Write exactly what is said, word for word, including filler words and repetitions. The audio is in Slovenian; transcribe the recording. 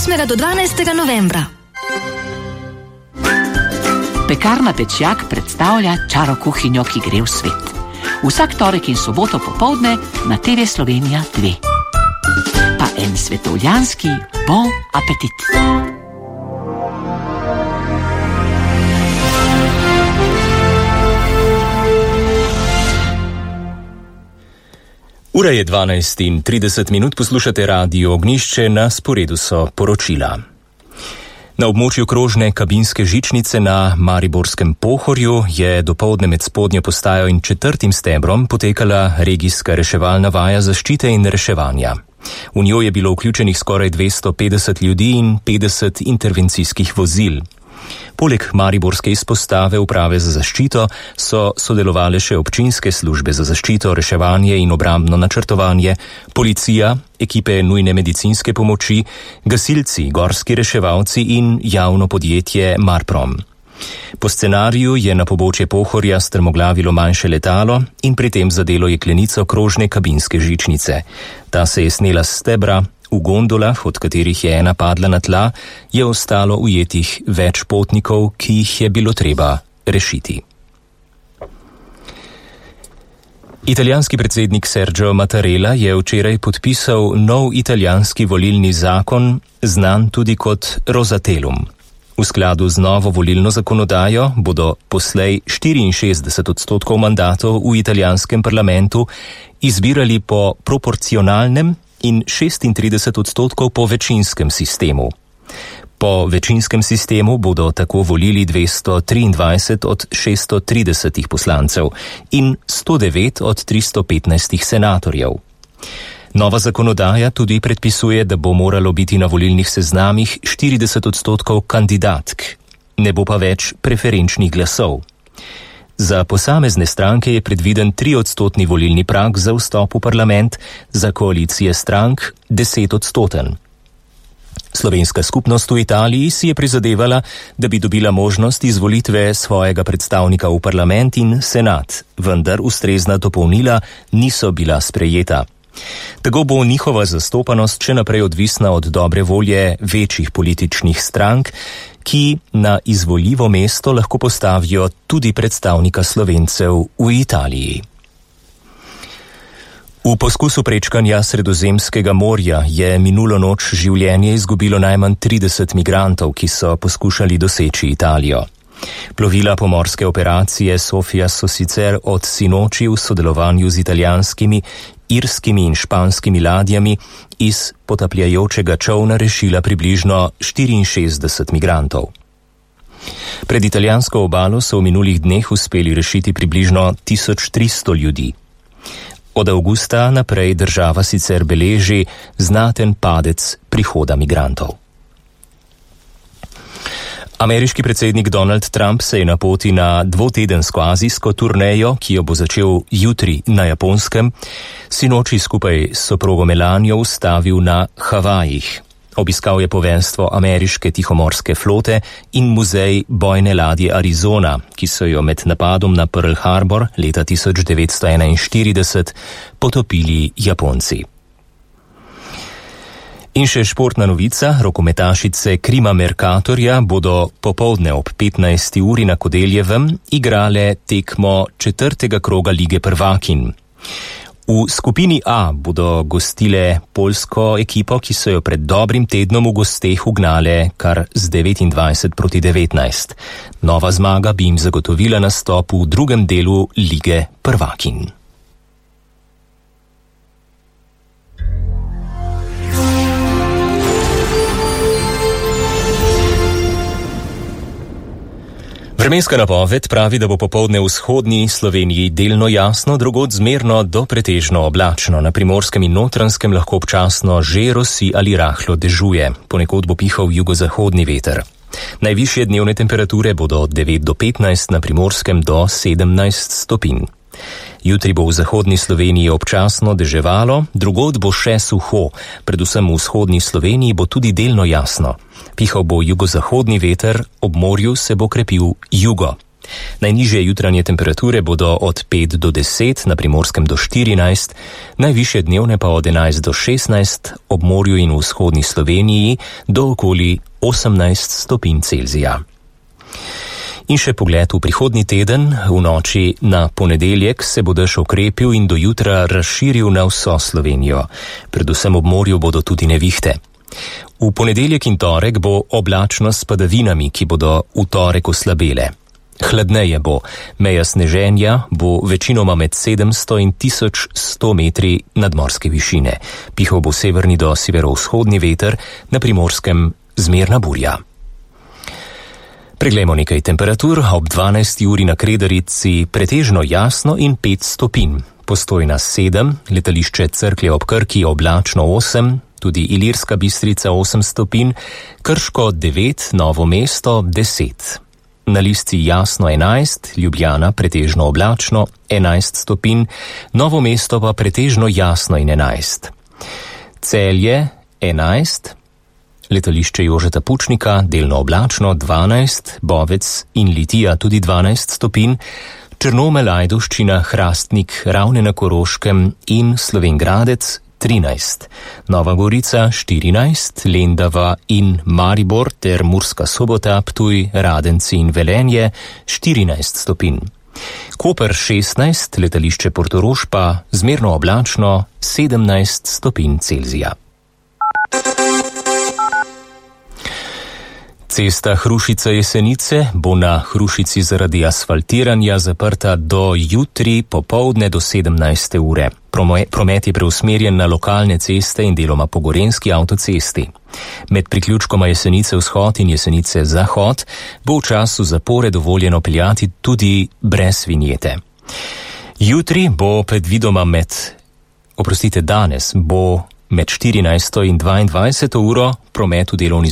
osmega do dvanajstega novembra. Pekarna Pečjak predstavlja čaro kuhinjo, ki gre v svet. Vsak torek in soboto popoldne na te ve Slovenija dve. Pa en svetovljanski bon apetit. Ura je dvanajst in trideset minut, poslušate Radio Ognjišče, na sporedu so poročila. Na območju krožne kabinske žičnice na Mariborskem Pohorju je dopoldne med spodnjo postajo in četrtim stebrom potekala regijska reševalna vaja zaščite in reševanja. V njo je bilo vključenih skoraj dvesto petdeset ljudi in petdeset intervencijskih vozil. Poleg mariborske izpostave uprave za zaščito so sodelovale še občinske službe za zaščito, reševanje in obrambno načrtovanje, policija, ekipe nujne medicinske pomoči, gasilci, gorski reševalci in javno podjetje Marprom. Po scenariju je na pobočje Pohorja strmoglavilo manjše letalo in pri tem zadelo jeklenico krožne kabinske žičnice. Ta se je snela s stebra. V gondolah, od katerih je ena padla na tla, je ostalo ujetih več potnikov, ki jih je bilo treba rešiti. Italijanski predsednik Sergio Mattarella je včeraj podpisal nov italijanski volilni zakon, znan tudi kot Rosatellum. V skladu z novo volilno zakonodajo bodo poslej štiriinšestdeset odstotkov mandatov v italijanskem parlamentu izbirali po proporcionalnem in šestintrideset odstotkov po večinskem sistemu. Po večinskem sistemu bodo tako volili dvesto triindvajset od šeststo trideset poslancev in sto devet od tristo petnajst senatorjev. Nova zakonodaja tudi predpisuje, da bo moralo biti na volilnih seznamih štirideset odstotkov kandidatk, ne bo pa več preferenčnih glasov. Za posamezne stranke je predviden triodstotni volilni prag za vstop v parlament, za koalicije strank deset odstoten. Slovenska skupnost v Italiji si je prizadevala, da bi dobila možnost izvolitve svojega predstavnika v parlament in senat, vendar ustrezna dopolnila niso bila sprejeta. Tako bo njihova zastopanost še naprej odvisna od dobre volje večjih političnih strank, ki na izvoljivo mesto lahko postavijo tudi predstavnika Slovencev v Italiji. V poskusu prečkanja Sredozemskega morja je minulo noč življenje izgubilo najmanj trideset migrantov, ki so poskušali doseči Italijo. Plovila pomorske operacije Sofia so sicer od sinoči v sodelovanju z italijanskimi, irskimi in španskimi ladjami iz potapljajočega čolna rešila približno štiriinšestdeset migrantov. Pred italijansko obalo so v minulih dneh uspeli rešiti približno tisoč tristo ljudi. Od avgusta naprej država sicer beleži znaten padec prihoda migrantov. Ameriški predsednik Donald Trump se je na poti na dvotedensko azijsko turnejo, ki jo bo začel jutri na Japonskem, sinoči skupaj s soprogo Melanijo ustavil na Havajih. Obiskal je poveljstvo ameriške tihomorske flote in muzej bojne ladje Arizona, ki so jo med napadom na Pearl Harbor leta tisoč devetsto enainštirideset potopili Japonci. In še športna novica, rokometašice Krima Mercatorja bodo popoldne ob petnajsti uri na Kodeljevem igrale tekmo četrtega kroga Lige prvakinj. V skupini A bodo gostile poljsko ekipo, ki so jo pred dobrim tednom v gosteh ugnale kar z devetindvajset proti devetnajst. Nova zmaga bi jim zagotovila nastop v drugem delu Lige prvakinj. Vremenska napoved pravi, da bo popoldne v vzhodni Sloveniji delno jasno, drugod zmerno do pretežno oblačno. Na Primorskem in Notranjskem lahko občasno že rosi ali rahlo dežuje. Ponekod bo pihal jugozahodni veter. Najvišje dnevne temperature bodo od devet do petnajst, na Primorskem do sedemnajst stopinj. Jutri bo v zahodni Sloveniji občasno deževalo, drugod bo še suho, predvsem v vzhodni Sloveniji bo tudi delno jasno. Pihal bo jugozahodni veter, ob morju se bo krepil jugo. Najnižje jutranje temperature bodo od pet do deset, na Primorskem do štirinajst, najvišje dnevne pa od enajst do šestnajst, ob morju in v vzhodni Sloveniji do okoli osemnajst stopinj Celzija. In še pogled v prihodnji teden. V noči na ponedeljek se bo dež okrepil in do jutra razširil na vso Slovenijo. Predvsem ob morju bodo tudi nevihte. V ponedeljek in torek bo oblačno s padavinami, ki bodo v torek oslabele. Hladneje bo, meja sneženja bo večinoma med sedemsto in tisoč sto metri nadmorske višine. Pihal bo severni do severovzhodni veter, na Primorskem zmerna burja. Preglejmo nekaj temperatur. Ob dvanajsti uri na Kredarici pretežno jasno in pet stopinj. Postojna sedem, letališče Cerklje ob Krki oblačno osem, tudi Ilirska Bistrica osem stopinj, Krško devet, Novo mesto deset. Na Lisci jasno enajst, Ljubljana pretežno oblačno enajst stopinj, Novo mesto pa pretežno jasno in enajst. Celje enajst, letališče Jožeta Pučnika delno oblačno dvanajst, Bovec in Litija tudi dvanajst stopinj, Črnomelj, Ajdovščina, Hrastnik, Ravne na Koroškem in Slovenj Gradec trinajst, Nova Gorica štirinajst, Lendava in Maribor ter Murska Sobota, Ptuj, Radenci in Velenje štirinajst stopinj. Koper šestnajst, letališče Portorož pa zmerno oblačno sedemnajst stopinj Celzija. Cesta Hrušica-Jesenice bo na Hrušici zaradi asfaltiranja zaprta do jutri popoldne do sedemnajste ure. Promet je preusmerjen na lokalne ceste in deloma po gorenjski avtocesti. Med priključkoma Jesenice vzhod in Jesenice zahod bo v času zapore dovoljeno peljati tudi brez vinjete. Jutri bo predvidoma med, oprostite danes, bo med štirinajsto in dvaindvajseto uro promet v delovni